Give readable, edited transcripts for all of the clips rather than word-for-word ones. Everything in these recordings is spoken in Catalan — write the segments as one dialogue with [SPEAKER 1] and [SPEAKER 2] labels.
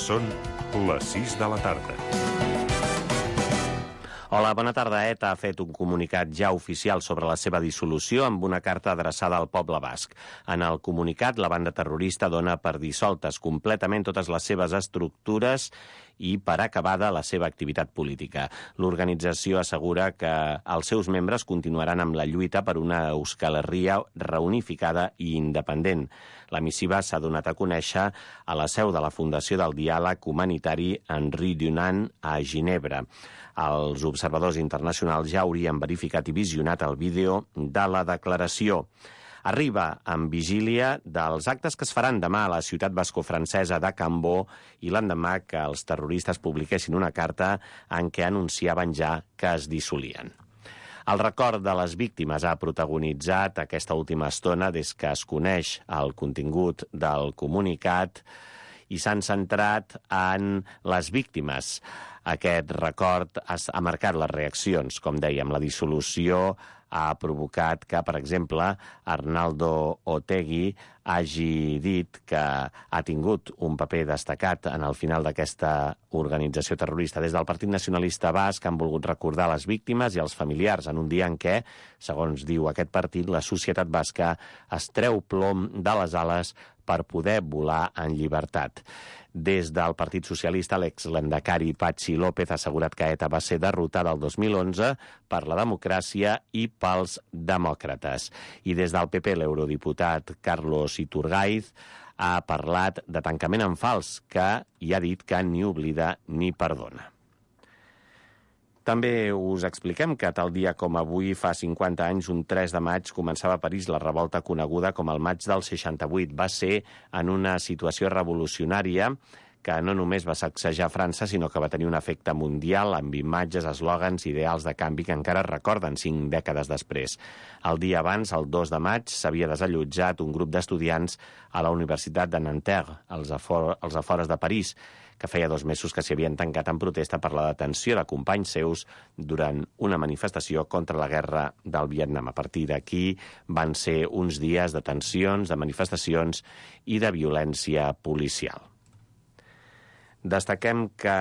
[SPEAKER 1] Són les 6 de la tarda.
[SPEAKER 2] Hola, bona tarda. ETA ha fet un comunicat ja oficial sobre la seva dissolució amb una carta adreçada al poble basc. En el comunicat, la banda terrorista dona per dissoltes completament totes les seves estructures i per acabada la seva activitat política. L'organització assegura que els seus membres continuaran amb la lluita per una Euskal Herria reunificada i independent. La missiva s'ha donat a conèixer a la seu de la Fundació del Diàleg Humanitari Henri Dunant a Ginebra. Els observadors internacionals ja haurien verificat i visionat el vídeo de la declaració. Arriba amb vigília dels actes que es faran demà a la ciutat bascofrancesa de Cambó i l'endemà que els terroristes publiquessin una carta en què anunciaven ja que es dissolien. El record de les víctimes ha protagonitzat aquesta última estona des que es coneix el contingut del comunicat i s'han centrat en les víctimes. Aquest record ha marcat les reaccions. Com dèiem, la dissolució ha provocat que, per exemple, Arnaldo Otegi hagi dit que ha tingut un paper destacat en el final d'aquesta organització terrorista. Des del Partit Nacionalista Basc han volgut recordar les víctimes i els familiars en un dia en què, segons diu aquest partit, la societat basca es treu plom de les ales per poder volar en llibertat. Des del Partit Socialista, l'ex-lendakari Patxi López ha assegurat que ETA va ser derrotada el 2011 per la democràcia i pels demòcrates. I des del PP, l'eurodiputat Carlos Iturgaiz ha parlat de tancament en fals, que hi ha dit que ni oblida ni perdona. També us expliquem que tal dia com avui, fa 50 anys, un 3 de maig, començava a París la revolta coneguda com el maig del 68. Va ser en una situació revolucionària que no només va sacsejar França, sinó que va tenir un efecte mundial amb imatges, eslògans, ideals de canvi que encara es recorden 5 dècades després. El dia abans, el 2 de maig, s'havia desallotjat un grup d'estudiants a la Universitat de Nanterre, als afores de París, que feia 2 mesos que s'hi havien tancat en protesta per la detenció de companys seus durant una manifestació contra la guerra del Vietnam. A partir d'aquí van ser uns dies de tensions, de manifestacions i de violència policial. Destaquem que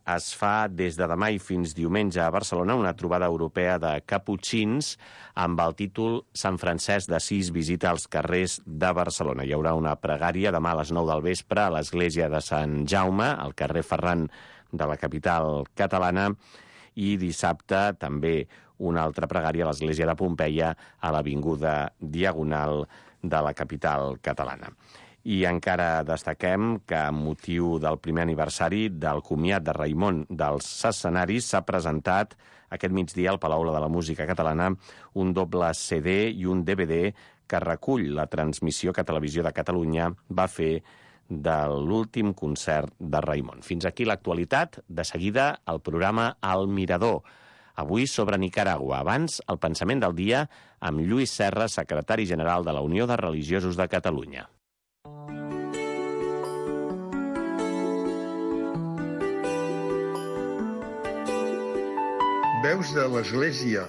[SPEAKER 2] es fa des de demà i fins diumenge a Barcelona una trobada europea de caputxins amb el títol Sant Francesc d'Assís visita als carrers de Barcelona. Hi haurà una pregària demà a les 9 del vespre a l'església de Sant Jaume, al carrer Ferran de la capital catalana, i dissabte també una altra pregària a l'església de Pompeia a l'avinguda Diagonal de la capital catalana. I encara destaquem que, amb motiu del primer aniversari del comiat de Raimon dels escenaris, s'ha presentat aquest migdia al Palau de la Música Catalana un doble CD i un DVD que recull la transmissió que Televisió de Catalunya va fer de l'últim concert de Raimon. Fins aquí l'actualitat. De seguida, el programa El Mirador. Avui sobre Nicaragua. Abans, el pensament del dia amb Lluís Serra, secretari general de la Unió de Religiosos de Catalunya.
[SPEAKER 3] Veus de l'Església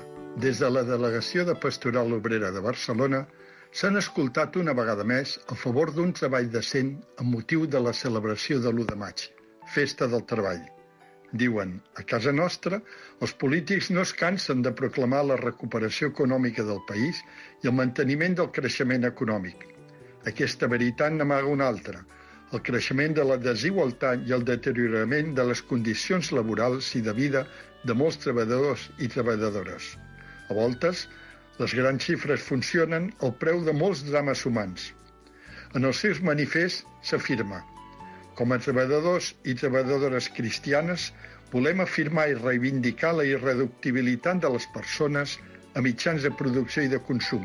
[SPEAKER 3] des de la Delegació de Pastoral Obrera de Barcelona s'han escoltat una vegada més a favor d'un treball decent amb motiu de la celebració de l'1 de maig, Festa del Treball. Diuen, a casa nostra, els polítics no es cansen de proclamar la recuperació econòmica del país i el manteniment del creixement econòmic. Aquesta veritat n'amaga una altra, el creixement de la desigualtat i el deteriorament de les condicions laborals i de vida de molts treballadors i treballadores. A voltes, les grans xifres funcionen al preu de molts drames humans. En els seus manifests s'afirma: com a treballadors i treballadores cristianes, volem afirmar i reivindicar la irreductibilitat de les persones a mitjans de producció i de consum.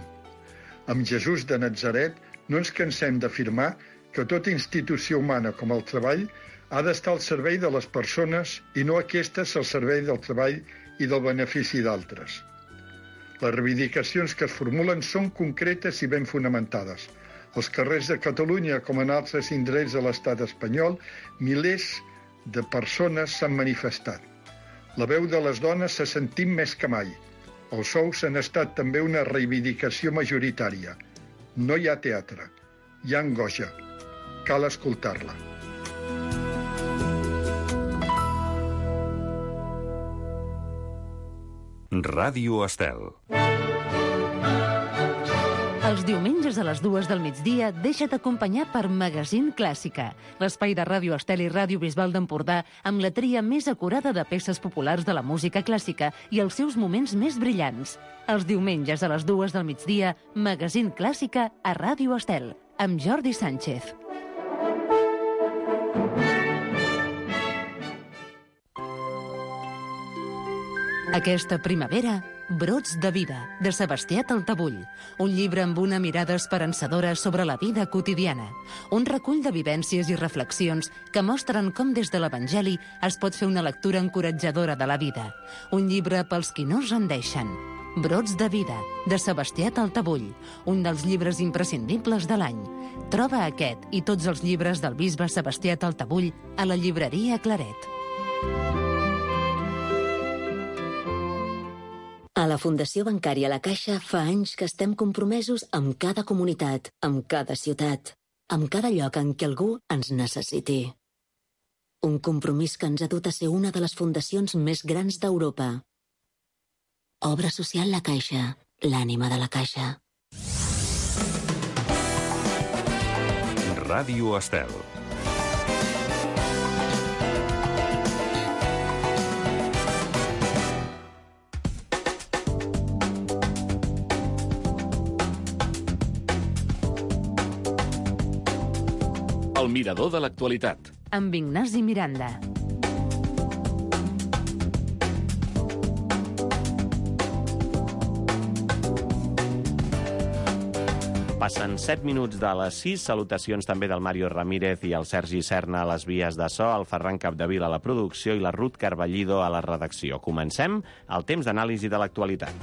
[SPEAKER 3] Amb Jesús de Natzaret no ens cansem d'afirmar que tota institució humana com el treball ha d'estar al servei de les persones i no aquestes al servei del treball i del benefici d'altres. Les reivindicacions que es formulen són concretes i ben fonamentades. Als carrers de Catalunya, com en altres indrets de l'estat espanyol, milers de persones s'han manifestat. La veu de les dones s'ha sentit més que mai. Els sous han estat també una reivindicació majoritària. No hi ha teatre, hi ha angoixa. Cal escoltar-la.
[SPEAKER 1] Ràdio Estel.
[SPEAKER 4] Els diumenges a les 2 del migdia deixa't acompanyar per Magazín Clàssica, l'espai de Ràdio Estel i Ràdio Bisbal d'Empordà amb la tria més acurada de peces populars de la música clàssica i els seus moments més brillants. Els diumenges a les 2 del migdia, Magazín Clàssica a Ràdio Estel, amb Jordi Sánchez. Aquesta primavera, Brots de vida, de Sebastià Taltabull. Un llibre amb una mirada esperançadora sobre la vida quotidiana. Un recull de vivències i reflexions que mostren com des de l'Evangeli es pot fer una lectura encoratjadora de la vida. Un llibre pels qui no es rendeixen. Brots de vida, de Sebastià Taltabull. Un dels llibres imprescindibles de l'any. Troba aquest i tots els llibres del bisbe Sebastià Taltabull a la llibreria Claret.
[SPEAKER 5] A la Fundació Bancària La Caixa fa anys que estem compromesos amb cada comunitat, amb cada ciutat, amb cada lloc en què algú ens necessiti. Un compromís que ens ha dut a ser una de les fundacions més grans d'Europa. Obra social La Caixa, l'ànima de la Caixa.
[SPEAKER 1] Ràdio Estel.
[SPEAKER 6] El mirador de l'actualitat.
[SPEAKER 4] Amb Ignasi Miranda.
[SPEAKER 2] Passen 7 minuts de les 6. Salutacions també del Mario Ramírez i el Sergi Serna a les vies de so, el Ferran Capdevila a la producció i la Ruth Carballido a la redacció. Comencem el temps d'anàlisi de l'actualitat.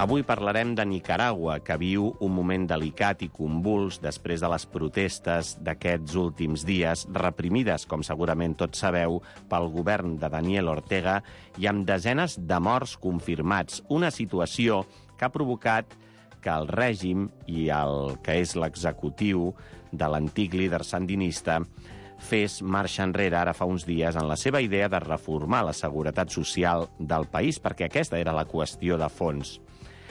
[SPEAKER 2] Avui parlarem de Nicaragua, que viu un moment delicat i convuls després de les protestes d'aquests últims dies, reprimides, com segurament tots sabeu, pel govern de Daniel Ortega i amb desenes de morts confirmats. Una situació que ha provocat que el règim i el que és l'executiu de l'antic líder sandinista fes marxa enrere ara fa uns dies en la seva idea de reformar la seguretat social del país, perquè aquesta era la qüestió de fons.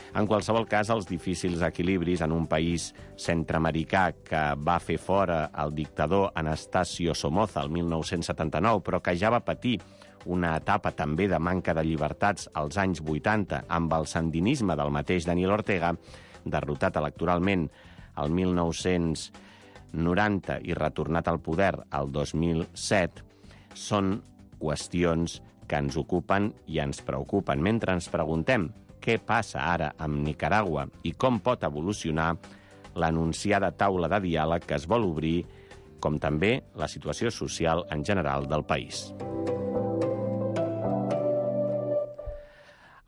[SPEAKER 2] En qualsevol cas, els difícils equilibris en un país centreamericà que va fer fora el dictador Anastasio Somoza el 1979, però que ja va patir una etapa també de manca de llibertats als anys 80 amb el sandinisme del mateix Daniel Ortega, derrotat electoralment el 1990 i retornat al poder el 2007, són qüestions que ens ocupen i ens preocupen. Mentre ens preguntem què passa ara amb Nicaragua i com pot evolucionar l'anunciada taula de diàleg que es vol obrir, com també la situació social en general del país.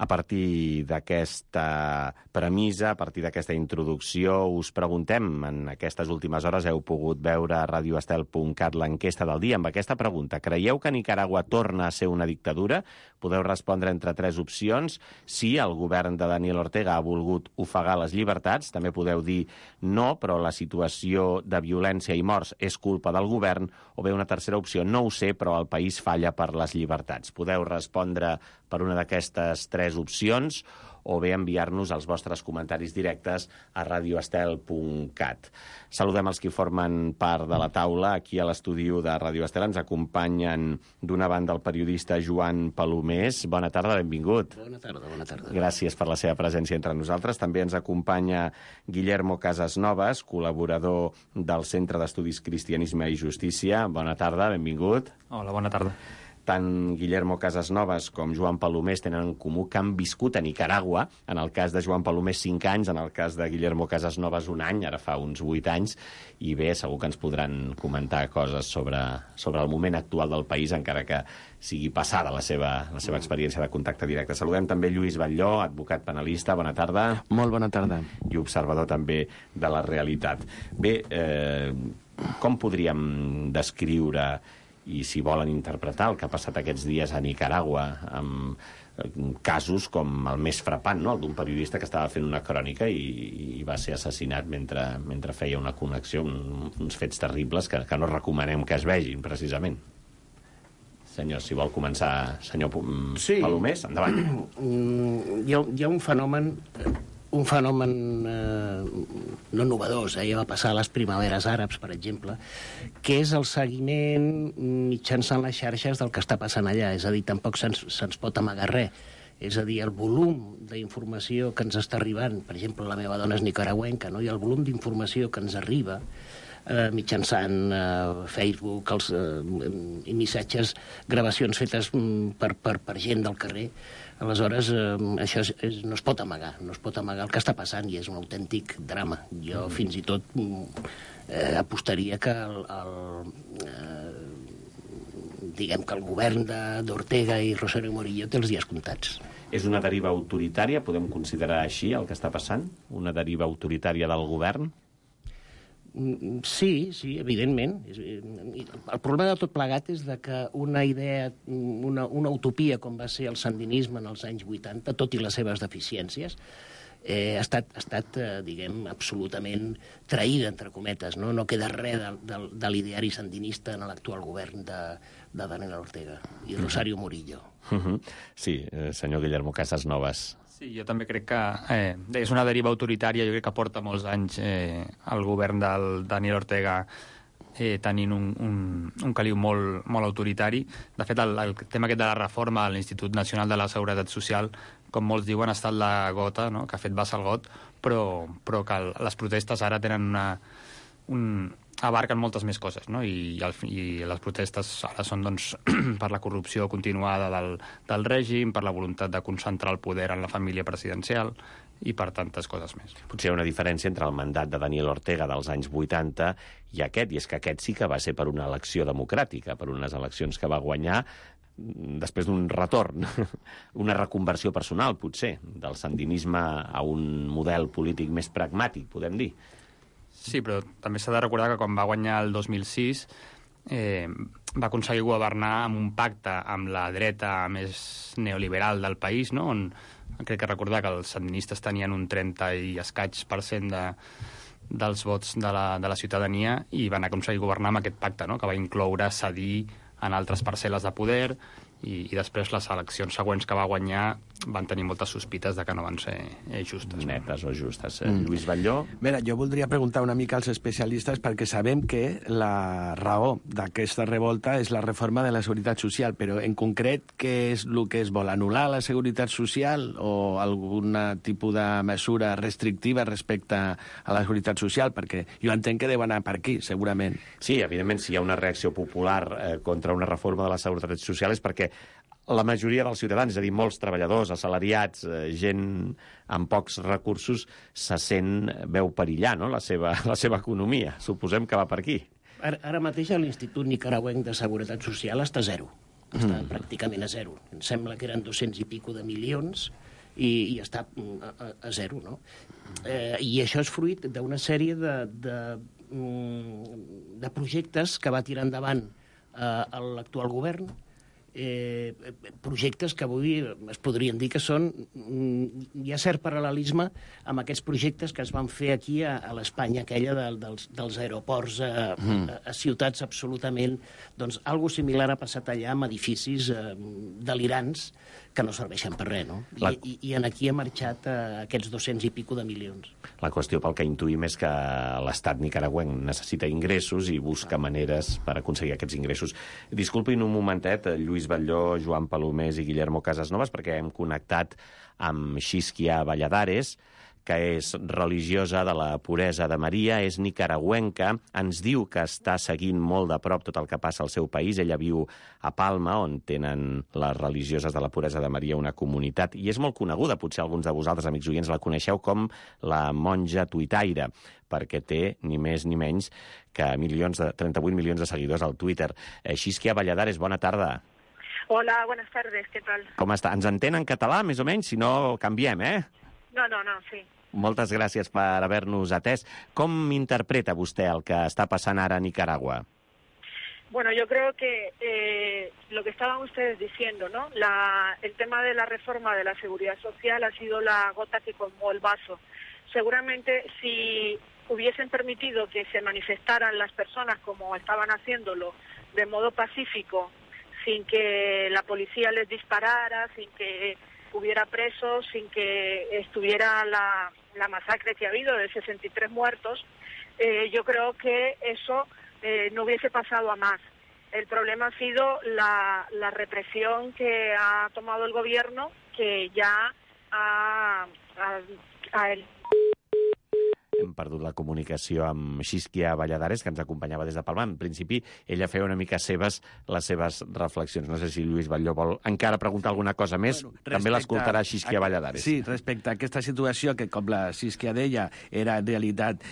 [SPEAKER 2] A partir d'aquesta premissa, a partir d'aquesta introducció, us preguntem, en aquestes últimes hores heu pogut veure a radioestel.cat l'enquesta del dia amb aquesta pregunta. Creieu que Nicaragua torna a ser una dictadura? Podeu respondre entre 3 opcions. Sí, el govern de Daniel Ortega ha volgut ofegar les llibertats. També podeu dir no, però la situació de violència i morts és culpa del govern. O bé una tercera opció, no ho sé, però el país falla per les llibertats. Podeu respondre per una d'aquestes 3 opcions o bé enviar-nos els vostres comentaris directes a radioestel.cat. Saludem els que formen part de la taula. Aquí a l'estudi de Radio Estel ens acompanyen d'una banda el periodista Joan Palomés. Bona tarda, benvingut.
[SPEAKER 7] Bona tarda, bona tarda.
[SPEAKER 2] Gràcies per la seva presència entre nosaltres. També ens acompanya Guillermo Casasnovas, col·laborador del Centre d'Estudis Cristianisme i Justícia. Bona tarda, benvingut.
[SPEAKER 8] Hola, bona tarda.
[SPEAKER 2] Tant Guillermo Casasnovas com Joan Palomés tenen en comú que han viscut a Nicaragua, en el cas de Joan Palomés 5 anys, en el cas de Guillermo Casasnovas 1 any, ara fa uns 8 anys, i bé, segur que ens podran comentar coses sobre el moment actual del país, encara que sigui passada la seva experiència de contacte directe. Saludem també Lluís Batlló, advocat penalista, bona tarda.
[SPEAKER 9] Molt bona tarda.
[SPEAKER 2] I observador també de la realitat. Bé, com podríem descriure i si volen interpretar el que ha passat aquests dies a Nicaragua amb casos com el més frapant, no? El d'un periodista que estava fent una crònica i va ser assassinat mentre feia una connexió, uns fets terribles que no recomanem que es vegin, precisament. Senyor, si vol començar, senyor Palomés, endavant.
[SPEAKER 7] Hi ha un fenomen no novedós, ja va passar a les primaveres àrabs, per exemple, que és el seguiment mitjançant les xarxes del que està passant allà. És a dir, tampoc se'ns pot amagar res. És a dir, el volum d'informació que ens està arribant, per exemple, la meva dona és nicaragüenca, no? I el volum d'informació que ens arriba mitjançant Facebook i missatges, gravacions fetes per gent del carrer. Aleshores, això no es pot amagar, no es pot amagar el que està passant i és un autèntic drama. Jo fins i tot apostaria que diguem que el govern d'Ortega i Rosario Murillo té els dies comptats.
[SPEAKER 2] És una deriva autoritària, podem considerar així el que està passant? Una deriva autoritària del govern?
[SPEAKER 7] Sí, evidentment. El problema de tot plegat és que una idea, una utopia com va ser el sandinisme en els anys 80, tot i les seves deficiències, ha estat, diguem, absolutament traïda, entre cometes. No queda res de l'ideari sandinista en l'actual govern de Daniel Ortega i Rosario Murillo.
[SPEAKER 2] Sí, senyor Guillermo Casasnovas.
[SPEAKER 8] Sí, jo també crec que és una deriva autoritària. Jo crec que porta molts anys el govern del Daniel Ortega tenint un caliu molt autoritari. De fet, el tema aquest de la reforma de l'Institut Nacional de la Seguretat Social, com molts diuen, ha estat la gota, no?, que ha fet vessar el got, però que les protestes ara tenen abarquen moltes més coses, no? I les protestes ara són, doncs, per la corrupció continuada del règim, per la voluntat de concentrar el poder en la família presidencial i per tantes coses més.
[SPEAKER 2] Potser hi ha una diferència entre el mandat de Daniel Ortega dels anys 80 i aquest, i és que aquest sí que va ser per una elecció democràtica, per unes eleccions que va guanyar després d'un retorn, una reconversió personal, potser, del sandinisme a un model polític més pragmàtic, podem dir.
[SPEAKER 8] Sí, però també s'ha de recordar que quan va guanyar el 2006 va aconseguir governar amb un pacte amb la dreta més neoliberal del país, no?, on crec que recordar que els sandinistes tenien un 30 i escaig % dels vots de la ciutadania i van aconseguir governar amb aquest pacte, no?, que va incloure cedir en altres parcel·les de poder i després les eleccions següents que va guanyar van tenir moltes sospites de que no van ser justes.
[SPEAKER 2] Netes o justes. Lluís Batlló?
[SPEAKER 9] Mira, jo voldria preguntar una mica als especialistes perquè sabem que la raó d'aquesta revolta és la reforma de la Seguretat Social, però en concret què és el que es vol? Anul·lar la Seguretat Social o algun tipus de mesura restrictiva respecte a la Seguretat Social? Perquè jo entenc que deu anar per aquí, segurament.
[SPEAKER 2] Sí, evidentment, si hi ha una reacció popular contra una reforma de la Seguretat Social és perquè la majoria dels ciutadans, és a dir, molts treballadors, assalariats, gent amb pocs recursos, veu perillar, no?, la seva economia. Suposem que va per aquí.
[SPEAKER 7] Ara mateix l'Institut Nicaragüenc de Seguretat Social està a zero. Està pràcticament a zero. Em sembla que eren 200 i pico de milions i està a zero, no? I això és fruit d'una sèrie de projectes que va tirar endavant l'actual govern, projectes que avui es podrien dir que són... Hi ha cert paral·lelisme amb aquests projectes que es van fer aquí a l'Espanya aquella dels aeroports a ciutats absolutament... Doncs algo similar ha passat allà amb edificis delirants que no serveixen per res, no? I aquí ha marxat aquests 200 i pico de milions.
[SPEAKER 2] La qüestió pel que intuïm és que l'estat nicaragüenc necessita ingressos i busca maneres per aconseguir aquests ingressos. Disculpin un momentet, Lluís Batlló, Joan Palomés i Guillermo Casasnovas, perquè hem connectat amb Xisquia Valladares, que és religiosa de la puresa de Maria, és nicaragüenca, ens diu que està seguint molt de prop tot el que passa al seu país. Ella viu a Palma, on tenen les religioses de la puresa de Maria una comunitat, i és molt coneguda, potser alguns de vosaltres, amics oients, la coneixeu com la monja tuitaire, perquè té ni més ni menys que 38 milions de seguidors al Twitter. Xisquia Valladares, bona tarda.
[SPEAKER 10] Hola, buenas tardes, ¿qué tal?
[SPEAKER 2] Com està? Ens entén en català, més o menys? Si no, canviem,
[SPEAKER 10] No, sí.
[SPEAKER 2] Moltes gràcies per haver-nos atès. Com interpreta vostè el que està passant ara a Nicaragua?
[SPEAKER 10] Bueno, yo creo que lo que estaban ustedes diciendo, ¿no? El tema de la reforma de la seguridad social ha sido la gota que colmó el vaso. Seguramente si hubiesen permitido que se manifestaran las personas como estaban haciéndolo de modo pacífico, sin que la policía les disparara, sin que hubiera presos, sin que estuviera la masacre que ha habido de 63 muertos, yo creo que eso no hubiese pasado a más. El problema ha sido la represión que ha tomado el gobierno, que ya
[SPEAKER 2] Hem perdut la comunicació amb Xisquia Valladares, que ens acompanyava des de Palma. En principi, ella feia una mica les seves reflexions. No sé si Lluís Batlló vol encara preguntar alguna cosa més. També l'escoltarà Xisquia Valladares.
[SPEAKER 9] Sí, respecte a aquesta situació, que com la Xisquia deia, era en realitat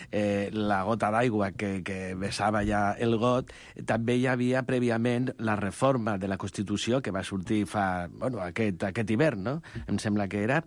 [SPEAKER 9] la gota d'aigua que vessava ja el got, també hi havia prèviament la reforma de la Constitució que va sortir aquest hivern, no? Em sembla que era,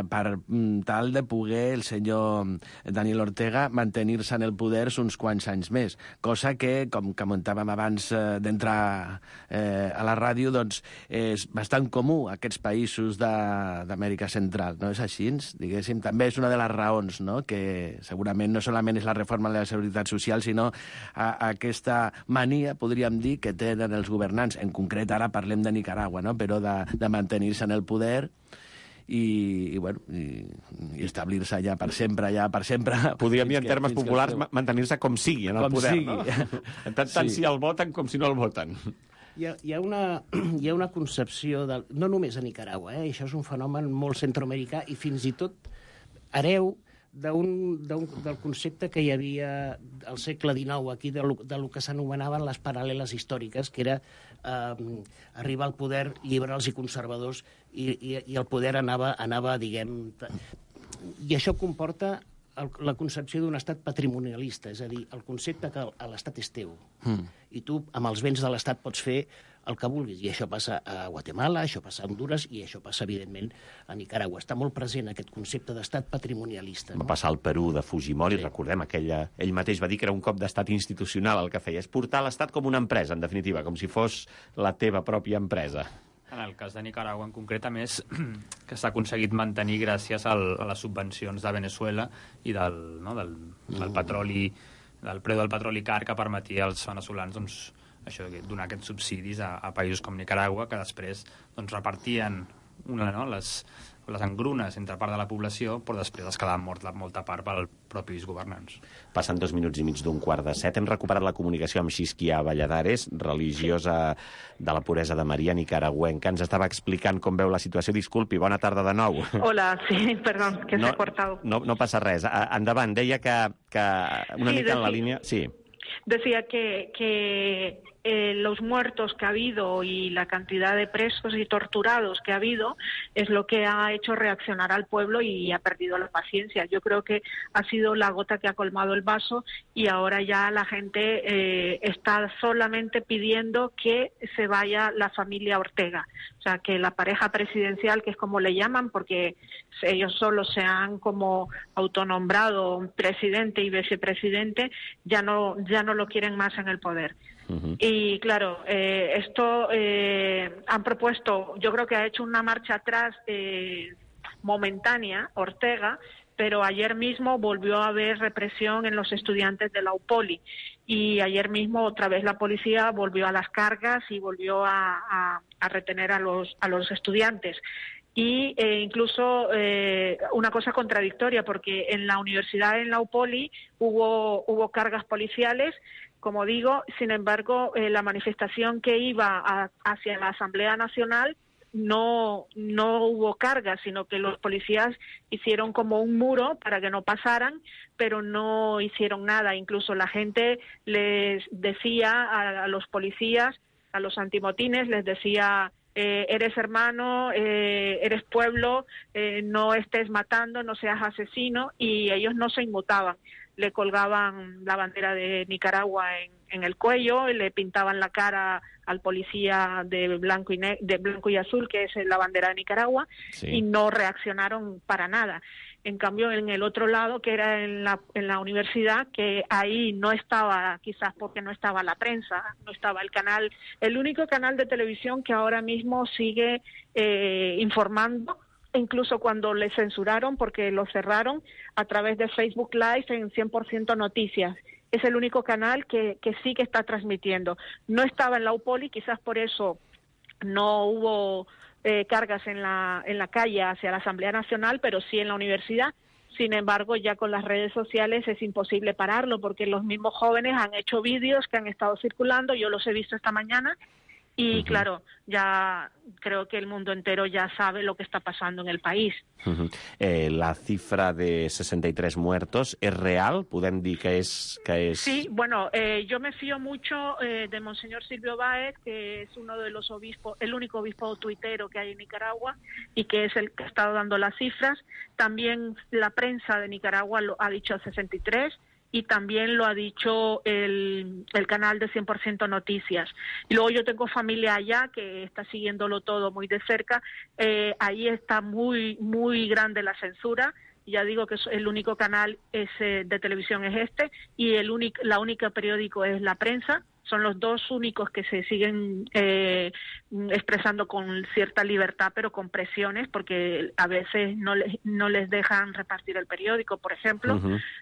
[SPEAKER 9] per tal de poder el senyor Daniel Ortega mantenir-se en el poder uns quants anys més, cosa que, com comentàvem abans d'entrar a la ràdio, doncs és bastant comú a aquests països d'Amèrica Central, no és així? Diguéssim, també és una de les raons, no?, que segurament no solament és la reforma de la Seguretat Social, sinó aquesta mania, podríem dir, que tenen els governants, en concret ara parlem de Nicaragua, no?, però de mantenir-se en el poder i establir-se allà per sempre.
[SPEAKER 2] Podríem dir en termes populars mantenir-se com sigui en el poder, no? Tant si el voten com si no el voten.
[SPEAKER 7] Hi ha una concepció, no només a Nicaragua, això és un fenomen molt centroamericà i fins i tot hereu del concepte que hi havia al segle XIX aquí, del que s'anomenaven les paral·leles històriques, que era arribar al poder liberals i conservadors i el poder anava, diguem... I això comporta la concepció d'un estat patrimonialista, és a dir, el concepte que l'estat és teu. I tu, amb els béns de l'estat, pots fer el que vulguis. I això passa a Guatemala, això passa a Honduras i això passa, evidentment, a Nicaragua. Està molt present aquest concepte d'estat patrimonialista.
[SPEAKER 2] Va passar al Perú de Fujimori, recordem, ell mateix va dir que era un cop d'estat institucional el que feia. És portar l'estat com una empresa, en definitiva, com si fos la teva pròpia empresa.
[SPEAKER 8] En el cas de Nicaragua, en concret, a més, que s'ha aconseguit mantenir gràcies a les subvencions de Venezuela i del petroli, del preu del petroli car que permetia als veneçolans donar aquests subsidis a països com Nicaragua, que després repartien les engrunes entre part de la població, però després es quedava molta part pels propis governants.
[SPEAKER 2] Passen 2 minuts i mig d'un 6:15. Hem recuperat la comunicació amb Xisquia Valladares, religiosa de la Puresa de Maria, nicaragüenca. Ens estava explicant com veu la situació. Disculpi, bona tarda de nou.
[SPEAKER 10] Hola, sí, perdón, que se ha cortado.
[SPEAKER 2] No passa res. Endavant, deia que una mica en la línia... Sí.
[SPEAKER 10] Decía que los muertos que ha habido y la cantidad de presos y torturados que ha habido es lo que ha hecho reaccionar al pueblo y ha perdido la paciencia. Yo creo que ha sido la gota que ha colmado el vaso y ahora ya la gente está solamente pidiendo que se vaya la familia Ortega. O sea, que la pareja presidencial, que es como le llaman, porque ellos solo se han como autonombrado presidente y vicepresidente, ya no lo quieren más en el poder. Y claro, esto han propuesto, yo creo que ha hecho una marcha atrás momentánea Ortega, pero ayer mismo volvió a haber represión en los estudiantes de la UPOLI y ayer mismo otra vez la policía volvió a las cargas y volvió a retener a los estudiantes. Y incluso una cosa contradictoria, porque en la universidad, en la UPOLI, hubo cargas policiales, como digo. Sin embargo, la manifestación que iba hacia la Asamblea Nacional no hubo cargas, sino que los policías hicieron como un muro para que no pasaran, pero no hicieron nada. Incluso la gente les decía a los policías, a los antimotines, les decía: eres hermano, eres pueblo, no estés matando, no seas asesino, y ellos no se inmutaban. Le colgaban la bandera de Nicaragua en el cuello, le pintaban la cara al policía de blanco y azul, que es la bandera de Nicaragua, sí, y no reaccionaron para nada. En cambio, en el otro lado, que era en la universidad, que ahí no estaba, quizás porque no estaba la prensa, no estaba el único canal de televisión que ahora mismo sigue informando, incluso cuando le censuraron porque lo cerraron a través de Facebook Live en 100% Noticias. Es el único canal que sí que está transmitiendo. No estaba en la UPOLI, quizás por eso no hubo cargas en la calle hacia la Asamblea Nacional, pero sí en la universidad. Sin embargo, ya con las redes sociales es imposible pararlo, porque los mismos jóvenes han hecho vídeos que han estado circulando, yo los he visto esta mañana, y claro, ya creo que el mundo entero ya sabe lo que está pasando en el país.
[SPEAKER 2] La cifra de 63 muertos, ¿es real? ¿Podem dir que és...?
[SPEAKER 10] Sí, bueno, yo me fío mucho de Monseñor Silvio Báez, que es uno de los obispos, el único obispo tuitero que hay en Nicaragua y que es el que ha estado dando las cifras. También la prensa de Nicaragua lo ha dicho 63 y también lo ha dicho el canal de 100% Noticias. Y luego yo tengo familia allá que está siguiéndolo todo muy de cerca. Ahí está muy, muy grande la censura. Ya digo que el único canal de televisión es este y la única periódico es La Prensa. Son los dos únicos que se siguen expresando con cierta libertad, pero con presiones, porque a veces no les dejan repartir el periódico, por ejemplo,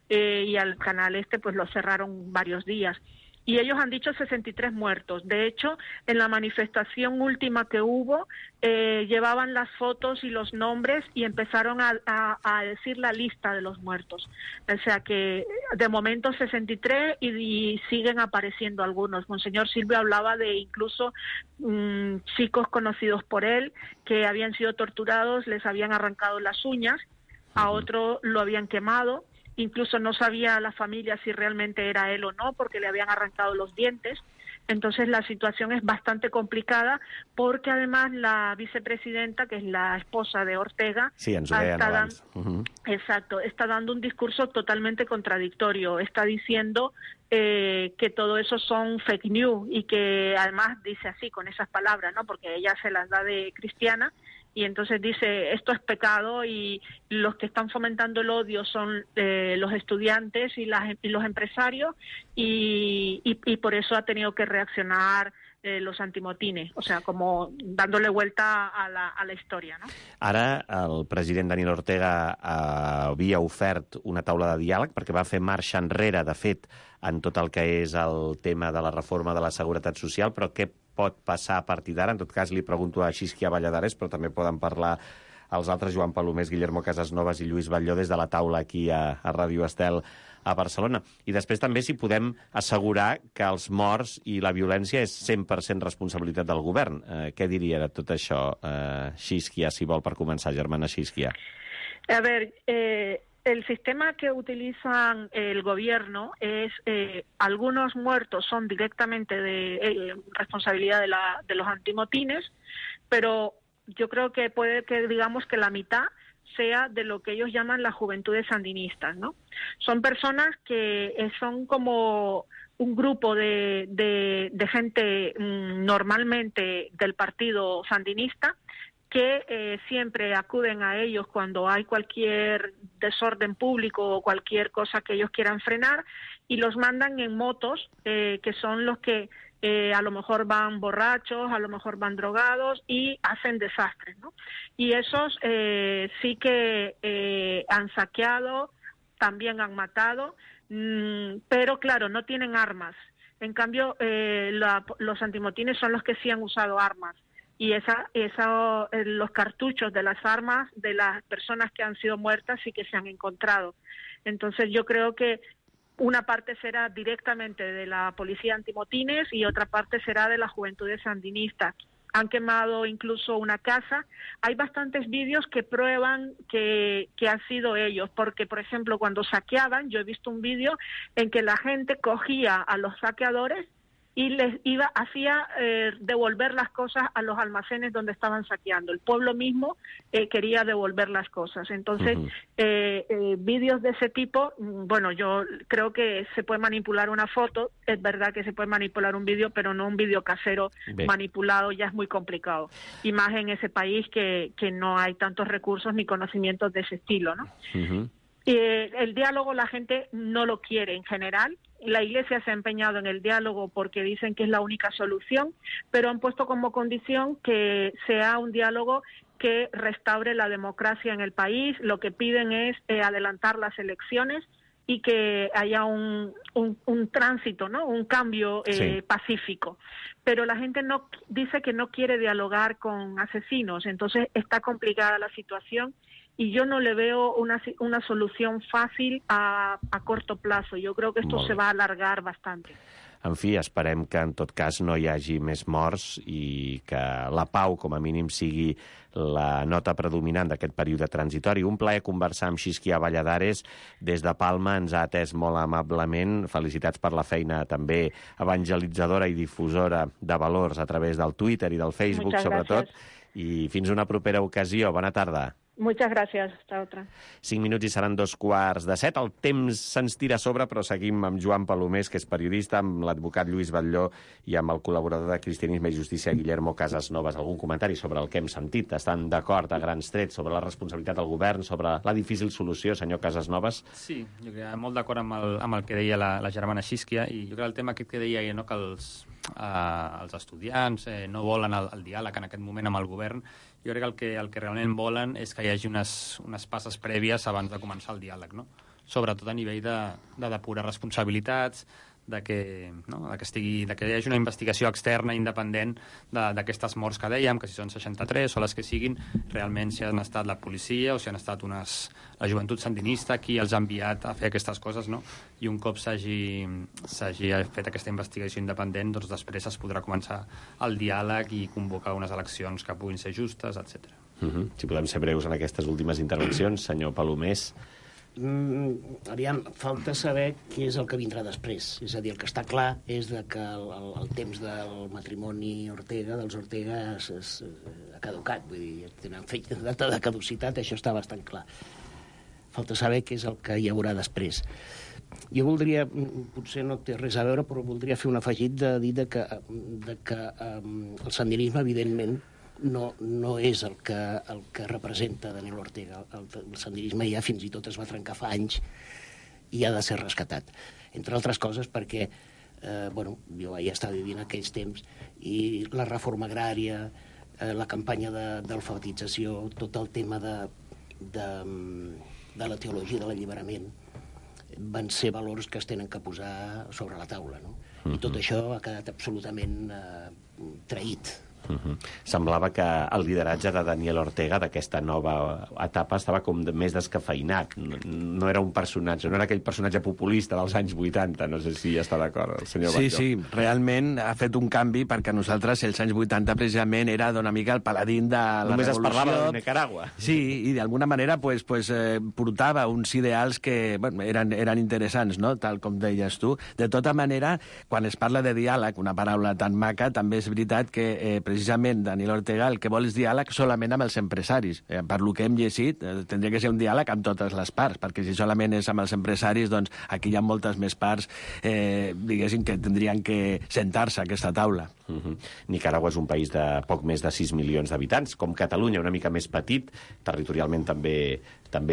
[SPEAKER 10] y al canal pues lo cerraron varios días. Y ellos han dicho 63 muertos. De hecho, en la manifestación última que hubo, llevaban las fotos y los nombres y empezaron a decir la lista de los muertos. O sea que de momento 63 y siguen apareciendo algunos. Monseñor Silvio hablaba de incluso chicos conocidos por él que habían sido torturados, les habían arrancado las uñas, a otro lo habían quemado. Incluso no sabía la familia si realmente era él o no, porque le habían arrancado los dientes. Entonces la situación es bastante complicada, porque además la vicepresidenta, que es la esposa de Ortega, está dando un discurso totalmente contradictorio. Está diciendo que todo eso son fake news y que además dice así, con esas palabras, ¿no? Porque ella se las da de cristiana. Y entonces dice, esto es pecado y los que están fomentando el odio son los estudiantes y los empresarios y por eso ha tenido que reaccionar los antimotines, o sea, como dándole vuelta a la història, no?
[SPEAKER 2] Ara el president Daniel Ortega havia ofert una taula de diàleg perquè va fer marxa enrere, de fet, en tot el que és el tema de la reforma de la seguretat social, però què pot passar a partir d'ara? En tot cas, li pregunto a Xisquia Valladares, però també poden parlar els altres, Joan Palomés, Guillermo Casasnovas i Lluís Batlló, des de la taula aquí a Ràdio Estel a Barcelona. I després també si podem assegurar que els morts i la violència és 100% responsabilitat del govern. Què diria de tot això, Xisquia, si vol, per començar, germana Xisquia?
[SPEAKER 10] A ver, el sistema que utilizan el gobierno es, algunos muertos son directamente de responsabilidad de los antimotines, pero yo creo que puede que digamos que la mitad sea de lo que ellos llaman las juventudes sandinistas, ¿no? Son personas que son como un grupo de gente normalmente del partido sandinista que siempre acuden a ellos cuando hay cualquier desorden público o cualquier cosa que ellos quieran frenar y los mandan en motos, que son los que a lo mejor van borrachos, a lo mejor van drogados y hacen desastres, ¿no? Y esos sí que han saqueado, también han matado, pero claro, no tienen armas. En cambio, los antimotines son los que sí han usado armas. Y los cartuchos de las armas de las personas que han sido muertas sí que se han encontrado. Entonces yo creo que una parte será directamente de la policía antimotines y otra parte será de las juventudes sandinistas. Han quemado incluso una casa. Hay bastantes vídeos que prueban que han sido ellos, porque, por ejemplo, cuando saqueaban, yo he visto un vídeo en que la gente cogía a los saqueadores y les hacía devolver las cosas a los almacenes donde estaban saqueando. El pueblo mismo quería devolver las cosas. Entonces, vídeos de ese tipo, bueno, yo creo que se puede manipular una foto, es verdad que se puede manipular un vídeo, pero no un vídeo casero manipulado, ya es muy complicado. Y más en ese país que no hay tantos recursos ni conocimientos de ese estilo, ¿no? El diálogo la gente no lo quiere en general. La Iglesia se ha empeñado en el diálogo porque dicen que es la única solución, pero han puesto como condición que sea un diálogo que restaure la democracia en el país. Lo que piden es adelantar las elecciones y que haya un tránsito, ¿no? Un cambio pacífico. Pero la gente no dice que no quiere dialogar con asesinos, entonces está complicada la situación y yo no le veo una solución fácil a corto plazo. Yo creo que esto se va a alargar bastante.
[SPEAKER 2] En fi, esperem que en tot cas no hi hagi més morts i que la pau, com a mínim, sigui la nota predominant d'aquest període transitori. Un plaer conversar amb Xisquia Valladares. Des de Palma ens ha atès molt amablement. Felicitats per la feina també evangelitzadora i difusora de valors a través del Twitter i del Facebook, sobretot. I fins una propera ocasió. Bona tarda.
[SPEAKER 10] Muchas gracias. Hasta otra.
[SPEAKER 2] 5 minuts i seran 2:45. El temps se'ns tira a sobre, però seguim amb Joan Palomés, que és periodista, amb l'advocat Lluís Batlló i amb el col·laborador de Cristianisme i Justícia, Guillermo Casasnovas. Algun comentari sobre el que hem sentit? Estan d'acord a grans trets sobre la responsabilitat del govern, sobre la difícil solució, senyor Casasnovas?
[SPEAKER 8] Sí, jo crec que molt d'acord amb el que deia la germana Xisquia, i jo crec que el tema aquest que deia no, que els estudiants no volen el diàleg en aquest moment amb el govern. Jo crec que el que realment volen és que hi hagi unes passes prèvies abans de començar el diàleg, no? Sobretot a nivell de depurar responsabilitats, que hi hagi una investigació externa independent d'aquestes morts que dèiem, que si són 63 o les que siguin, realment si han estat la policia o si han estat la joventut sandinista qui els ha enviat a fer aquestes coses, no? I un cop s'hagi fet aquesta investigació independent, doncs després es podrà començar el diàleg i convocar unes eleccions que puguin ser justes, etc.
[SPEAKER 2] Si podem ser breus en aquestes últimes intervencions, senyor Palomés.
[SPEAKER 7] Aviam, falta saber què és el que vindrà després. És a dir, el que està clar és que el temps del matrimoni Ortega, dels Ortega, ha caducat. Vull dir, tenen fet data de caducitat, això està bastant clar. Falta saber què és el que hi haurà després. Jo voldria, potser no té res a veure, però voldria fer un afegit de dir que el sandinisme, evidentment, no és el que representa Daniel Ortega. El sandinisme ja fins i tot es va trencar fa anys i ha de ser rescatat. Entre altres coses perquè jo vaig estar vivint aquells temps i la reforma agrària, la campanya d'alfabetització, tot el tema de la teologia de l'alliberament van ser valors que es tenen que posar sobre la taula, no? I tot això ha quedat absolutament traït.
[SPEAKER 2] Semblava que el lideratge de Daniel Ortega d'aquesta nova etapa estava com més descafeinat. No era un personatge, no era aquell personatge populista dels anys 80. No sé si està d'acord el senyor Batlló.
[SPEAKER 9] Sí, realment ha fet un canvi perquè nosaltres els anys 80 precisament era d'una mica el paladín de la
[SPEAKER 2] Només
[SPEAKER 9] revolució.
[SPEAKER 2] es parlava de Nicaragua.
[SPEAKER 9] Sí, i d'alguna manera portava uns ideals que eren interessants, no? Tal com deies tu. De tota manera, quan es parla de diàleg, una paraula tan maca, també és veritat que precisament Daniel Ortega el que vol és diàleg solament amb els empresaris. Per lo que hem llegit, tindria que ser un diàleg amb totes les parts, perquè si solament és amb els empresaris, doncs aquí hi ha moltes més parts, diguéssim, que tindrien que sentar-se a aquesta taula.
[SPEAKER 2] Nicaragua és un país de poc més de 6 milions d'habitants, com Catalunya, una mica més petit, territorialment també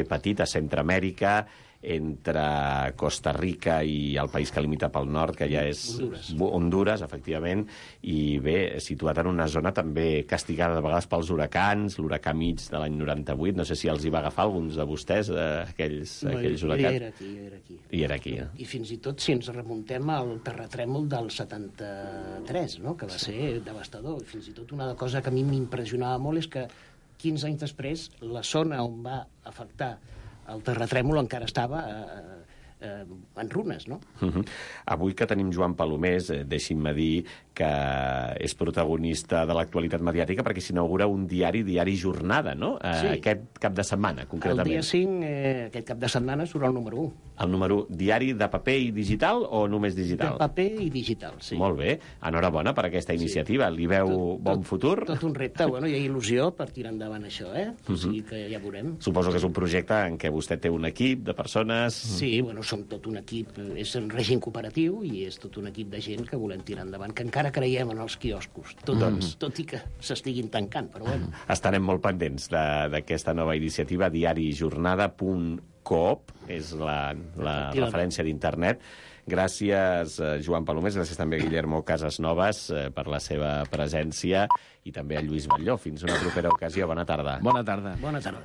[SPEAKER 2] petit, a Centroamèrica, entre Costa Rica i el país que limita pel nord, que ja és Honduras, efectivament, i bé, situat en una zona també castigada de vegades pels huracans, l'huracà mig de l'any 98, no sé si els hi va agafar alguns de vostès, aquells huracans.
[SPEAKER 7] Jo era aquí.
[SPEAKER 2] I era aquí,
[SPEAKER 7] I fins i tot si ens remuntem al terratrèmol del 73, no? Que va ser devastador. Fins i tot una cosa que a mi m'impressionava molt és que 15 anys després la zona on va afectar el terratrèmol encara estava en runes, no?
[SPEAKER 2] Avui que tenim Joan Palomés, deixi'm dir que és protagonista de l'actualitat mediàtica perquè s'inaugura un diari Jornada, no?
[SPEAKER 7] Sí.
[SPEAKER 2] Aquest cap de setmana, concretament.
[SPEAKER 7] El dia 5, aquest cap de setmana, surt el número 1.
[SPEAKER 2] El número diari de paper i digital o només digital?
[SPEAKER 7] De paper i digital, sí.
[SPEAKER 2] Molt bé. Enhorabona per aquesta iniciativa. Li veu bon futur?
[SPEAKER 7] Tot un repte. Bueno, hi ha il·lusió per tirar endavant això, O sigui que ja veurem.
[SPEAKER 2] Suposo que és un projecte en què vostè té un equip de persones...
[SPEAKER 7] Sí, bueno, som tot un equip, és un règim cooperatiu i és tot un equip de gent que volem tirar endavant, que encara creiem en els quioscos, tot i que s'estiguin tancant, però bueno.
[SPEAKER 2] Estarem molt pendents d'aquesta nova iniciativa, diarijornada.coop, és la referència d'internet. Gràcies, Joan Palomés, gràcies també a Guillermo Casasnovas per la seva presència i també a Lluís Batlló. Fins una propera ocasió. Bona tarda.
[SPEAKER 9] Bona tarda.
[SPEAKER 7] Bona tarda.